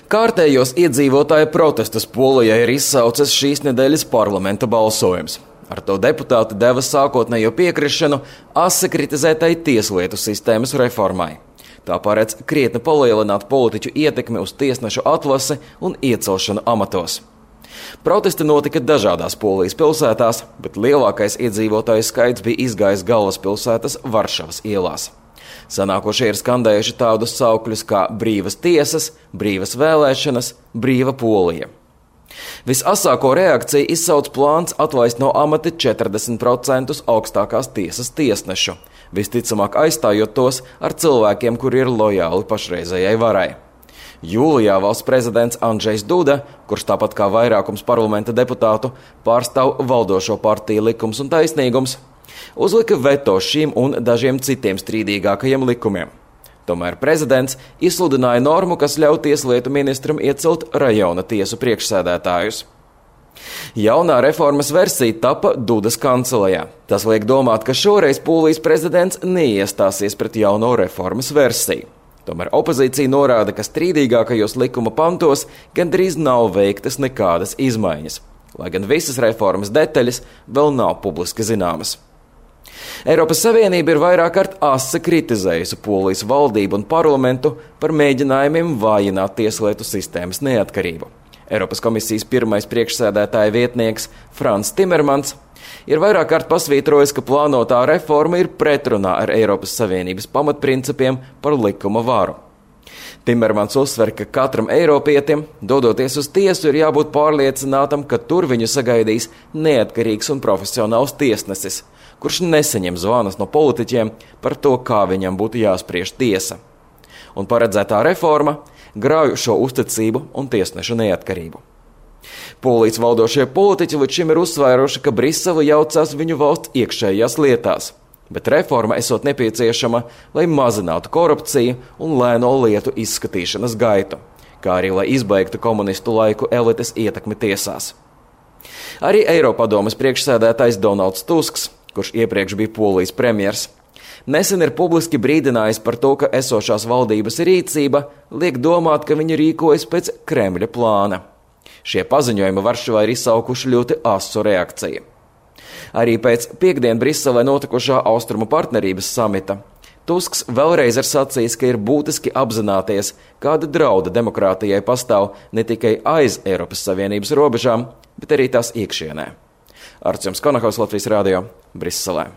Kārtējos iedzīvotāju protestus Polijā ir izsaucis šīs nedēļas parlamenta balsojums. Ar to deputāti deva sākotnējo piekrišanu asi kritizētai tieslietu sistēmas reformai. Tā paredz krietni palielināt politiķu ietekmi uz tiesnešu atlasi un iecelšanu amatos. Protesti notika dažādās Polijas pilsētās, bet lielākais iedzīvotāju skaits bija izgājis galvaspilsētas Varšavas ielās. Sanākošie ir skandējuši tādus saukļus kā brīvas tiesas, brīvas vēlēšanas, brīva Polija. Visasāko reakciju izsauc plāns atlaist no amata 40% augstākās tiesas tiesnešu, visticamāk aizstājot tos ar cilvēkiem, kuri ir lojāli pašreizējai varai. Jūlijā valsts prezidents Andžejs Duda, kurš tāpat kā vairākums parlamenta deputātu pārstāv valdošo partiju Likums un taisnīgums, uzlika veto šīm un dažiem citiem strīdīgākajiem likumiem. Tomēr prezidents izsludināja normu, kas ļauj tieslietu ministram iecelt rajona tiesu priekšsēdētājus. Jaunā reformas versija tapa Dudas kancelejā. Tas liek domāt, ka šoreiz Polijas prezidents neiestāsies pret jauno reformas versiju. Tomēr opozīcija norāda, ka strīdīgākajos likuma pantos gandrīz nav veiktas nekādas izmaiņas, lai gan visas reformas detaļas vēl nav publiski zināmas. Eiropas Savienība ir vairāk kārt asi kritizējusi Polijas valdību un parlamentu par mēģinājumiem vājināt tieslietu sistēmas neatkarību. Eiropas komisijas pirmais priekšsēdētāja vietnieks Frans Timermans ir vairāk kārt pasvītrojis, ka plānotā reforma ir pretrunā ar Eiropas Savienības pamatprincipiem par likuma varu. Timermans uzsver, ka katram eiropietim, dodoties uz tiesu, ir jābūt pārliecinātam, ka tur viņu sagaidīs neatkarīgs un profesionāls tiesnesis, kurš nesaņem zvanus no politiķiem par to, kā viņam būtu jāspriež tiesa. Un paredzētā reforma grauj šo uzticību un tiesnešu neatkarību. Polijas valdošie politiķi līdz šim ir uzsvēruši, ka Brisele jaucās viņu valsts iekšējās lietās, bet reforma esot nepieciešama, lai mazinātu korupciju un lēno lietu izskatīšanas gaitu, kā arī lai izbeigtu komunistu laiku elites ietekmi tiesās. Arī Eiropadomes priekšsēdētājs Donalds Tusks, kurš iepriekš bija Polijas premjers, nesen ir publiski brīdinājis par to, ka esošās valdības rīcība liek domāt, ka viņi rīkojas pēc Kremļa plāna. Šie paziņojumi Varšavā ir izsaukuši ļoti asu reakciju. Arī pēc piekdien Briselē notikušā Austrumu partnerības samita Tusks vēlreiz ir sacījis, ka ir būtiski apzināties, kāda drauda demokrātijai pastāv ne tikai aiz Eiropas Savienības robežām, bet arī tās iekšienē. Arčuns Konahaus, Latvijas radio, Briselē.